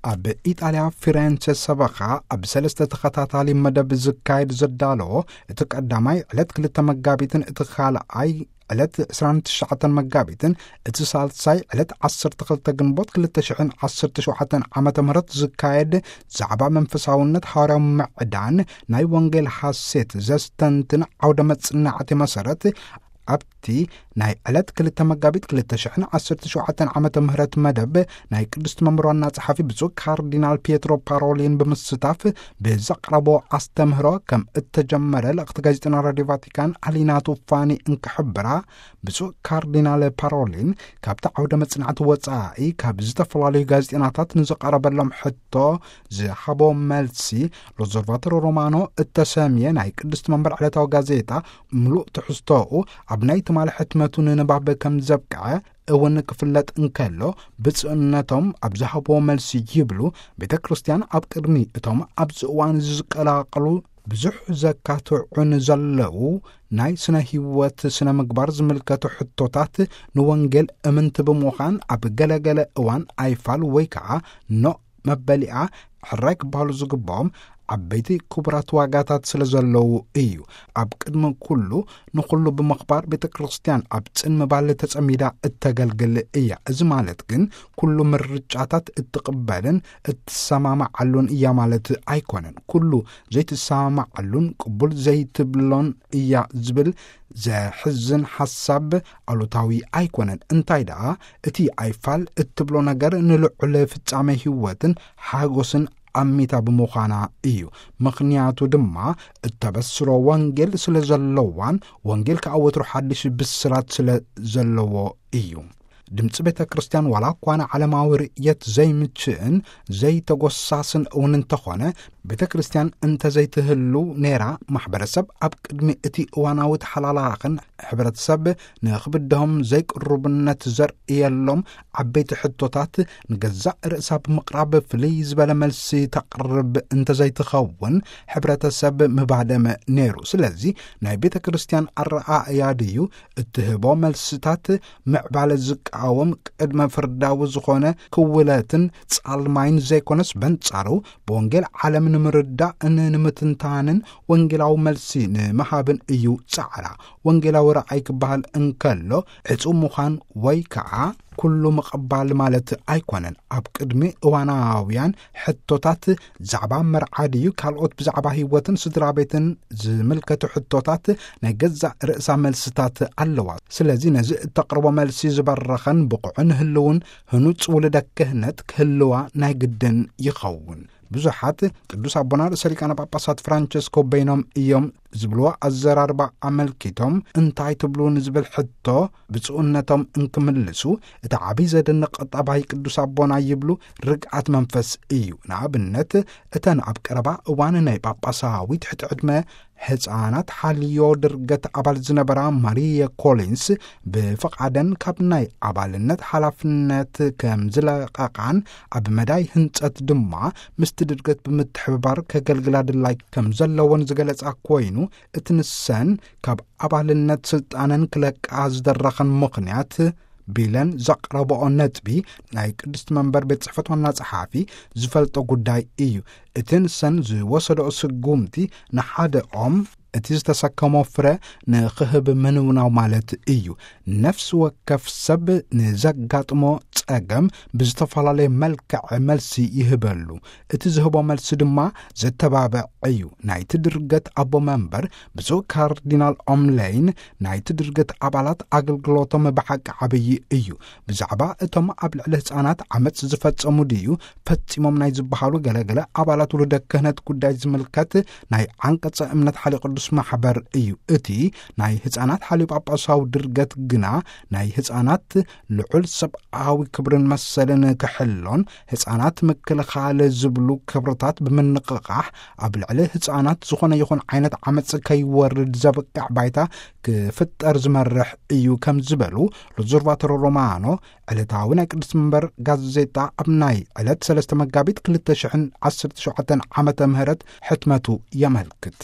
ኣብ ኢጣልያ ፊሬንቸ ሰበኻ ኣብ ሰለስተ ተኸታታሊ መደብ ዝካየድ ዘዳለዎ፣ እቲ ቀዳማይ ዕለት ክልተ መጋቢትን እቲ ካልኣይ ዕለት ዕስራን ትሽዓተን መጋቢትን እቲ ሳልሳይ ዕለት ዓሰርተ ክልተ ግንቦት ክልተ ሽሕን ዓሰርተ ሸውዓተን ዓመተ ምህረት ዝካየድ ዛዕባ መንፈሳውነት፣ ሃዋርያዊ ምዕዳን፣ ናይ ወንጌል ሓሴት ዘስተንትን ዓውደ መጽናዕቲ መሰረት ኣብቲ ናይ ዕለት ክልተ መጋቢት ክልተ ሽሕን ዓሰርተ ሸውዓተን ዓመተ ምህረት መደብ ናይ ቅድስቲ መንበር ዋና ጸሓፊ ብፁዕ ካርዲናል ፒየትሮ ፓሮሊን ብምስታፍ ብዘቕረቦ ኣስተምህሮ ከም እተጀመረ ልእኽቲ ጋዜጠና ራዲዮ ቫቲካን ኣሊና ቱፋኒ እንክሕብራ፣ ብፁዕ ካርዲናል ፓሮሊን ካብቲ ዓውደ መጽናዕቲ ወጻኢ ካብ ዝተፈላለዩ ጋዜጠናታት ንዝቐረበሎም ሕቶ ዝሃቦ መልሲ፣ ሎዘርቫተሮ ሮማኖ እተሰምየ ናይ ቅድስቲ መንበር ዕለታዊ ጋዜጣ ምሉእ ትሕዝቶኡ ኣብ ናይ ትማሊ ሕትመቱ ንንባብ ከም ዘብቅዐ እውን ክፍለጥ እንከሎ፣ ብፁዕነቶም ኣብ ዝሃብዎ መልሲ ይብሉ፣ ቤተ ክርስቲያን ኣብ ቅድሚ እቶም ኣብዚ እዋን እዚ ዝቀላቐሉ ብዙሕ ዘካትዑን ዘለዉ ናይ ስነ ህይወት ስነ ምግባር ዝምልከቱ ሕቶታት ንወንጌል እምንቲ ብምዃን ኣብ ገለገለ እዋን ኣይፋል ወይ ከዓ ኖእ መበሊኣ ሕራይ ክበሃሉ ዝግባኦም ዓበይቲ ክቡራት ዋጋታት ስለ ዘለዉ እዩ። ኣብ ቅድሚ ኩሉ ንኹሉ ብምኽባር ቤተ ክርስቲያን ኣብ ጽን ምባል ተጸሚዳ እተገልግል እያ። እዚ ማለት ግን ኩሉ ምርጫታት እትቕበልን እትሰማማዓሉን እያ ማለት ኣይኮነን። ኩሉ ዘይትሰማማዓሉን ቅቡል ዘይትብሎን እያ ዝብል ዘሕዝን ሓሳብ ኣሉታዊ ኣይኮነን። እንታይ ደኣ እቲ ኣይፋል እትብሎ ነገር ንልዑል ፍጻመ ህይወትን ሓጎስን ኣሚታ ብምዃና እዩ። ምኽንያቱ ድማ እተበስሮ ወንጌል ስለ ዘለዋን ወንጌል ከኣ ወትሩ ሓድሽ ብስራት ስለ ዘለዎ እዩ። ድምፂ ቤተ ክርስቲያን ዋላ እኳ ንዓለማዊ ርእየት ዘይምችእን ዘይተጎሳስን እውን እንተኾነ፣ ቤተ ክርስቲያን እንተዘይትህሉ ነይራ፣ ማሕበረሰብ ኣብ ቅድሚ እቲ እዋናዊ ተሓላላኽን ሕብረተሰብ ንኽብድሆም ዘይቅሩብነት ዘርእየሎም ዓበይቲ ሕቶታት ንገዛእ ርእሳ ብምቕራብ ፍልይ ዝበለ መልሲ ተቕርብ እንተዘይትኸውን፣ ሕብረተሰብ ምባደመ ነይሩ። ስለዚ ናይ ቤተ ክርስቲያን ኣረኣእያ ድዩ እትህቦ መልስታት ምዕባለ ዝቃወም ቅድመ ፍርዳዊ ዝኾነ ክውለትን ጻልማይን ዘይኮነስ፣ በንጻሩ ብወንጌል ዓለም ንምርዳእን ንምትንታንን ወንጌላዊ መልሲ ንምሃብን እዩ ጻዕራ። ወንጌላዊ ረኣይ ክበሃል እንከሎ ዕጹው ምዃን ወይ ከዓ ኩሉ ምቕባል ማለት ኣይኮነን። ኣብ ቅድሚ እዋናውያን ሕቶታት፣ ዛዕባ መርዓ ድዩ ካልኦት ብዛዕባ ህይወትን ስድራ ቤትን ዝምልከቱ ሕቶታት ናይ ገዛእ ርእሳ መልስታት ኣለዋ። ስለዚ ነዚ እተቕርቦ መልሲ ዝበረኸን ብቑዕን ህልውን ህኑጽ ውልደ ክህነት ክህልዋ ናይ ግድን ይኸውን። ብዙሓት ቅዱስ ኣቦና ርእሰ ሊቃነ ጳጳሳት ፍራንቸስኮ በይኖም እዮም ዝብልዎ ኣዘራርባ ኣመልኪቶም እንታይ ትብሉ ንዝብል ሕቶ ብፁዕነቶም እንክምልሱ፣ እቲ ዓብዪ ዘደንቕ ጠባይ ቅዱስ ኣቦና ይብሉ ርግኣት መንፈስ እዩ። ንኣብነት፣ እተን ኣብ ቀረባ እዋን ናይ ጳጳሳዊ ትሕቲ ዕድመ ሕፃናት ሓልዮ ድርገት ኣባል ዝነበራ ማሪየ ኮሊንስ ብፍቓደን ካብ ናይ ኣባልነት ሓላፍነት ከም ዝለቐቓን ኣብ መዳይ ህንጸት ድማ ምስቲ ድርገት ብምትሕብባር ከገልግላ ድላይ ከም ዘለወን ዝገለጻ ኮይኑ፣ እቲ ንሰን ካብ ኣባልነት ስልጣነን ክለቃ ዝደረኸን ምኽንያት ቢለን ዘቕረብኦ ነጥቢ ናይ ቅድስቲ መንበር ቤት ጽሕፈት ዋና ጸሓፊ ዝፈልጦ ጉዳይ እዩ። እቲ ንሰን ዝወሰደኦ ስጉምቲ ንሓደኦም እቲ ዝተሰከሞ ፍረ ንኽህብ ምንውናው ማለት እዩ። ነፍሲ ወከፍ ሰብ ንዘጋጥሞ ጸገም ብዝተፈላለየ መልክዕ መልሲ ይህበሉ። እቲ ዝህቦ መልሲ ድማ ዘተባብዕ እዩ። ናይቲ ድርገት ኣቦ መንበር ብፁዕ ካርዲናል ኦምለይን፣ ናይቲ ድርገት ኣባላት ኣገልግሎቶም ብሓቂ ዓብዪ እዩ። ብዛዕባ እቶም ኣብ ልዕሊ ህፃናት ዓመፅ ዝፈጸሙ ድዩ ፈጺሞም ናይ ዝበሃሉ ገለገለ ኣባላት ውሉደ ክህነት ጉዳይ ዝምልከት ናይ ዓንቀጸ እምነት ሓልዮ ቅዱስ ማሕበር እዩ። እቲ ናይ ህፃናት ሓልዮ ጳጳሳዊ ድርገት ግና ናይ ህፃናት ልዑል ሰብኣዊ ክብርን መሰልን ክሕሎን ህፃናት ምክልኻል ዝብሉ ክብርታት ብምንቕቓሕ፣ ኣብ ልዕሊ ህፃናት ዝኾነ ይኹን ዓይነት ዓመፅ ከይወርድ ዘብቅዕ ባይታ ክፍጠር ዝመርሕ እዩ ከም ዝበሉ ሎዞርቫቶሮ ሮማኖ ዕለታዊ ናይ ቅድስቲ መንበር ጋዜጣ ኣብ ናይ ዕለት ሰለስተ መጋቢት ክልተ ሽሕን ዓሰርተ ሸውዓተን ዓመተ ምህረት ሕትመቱ የመልክት።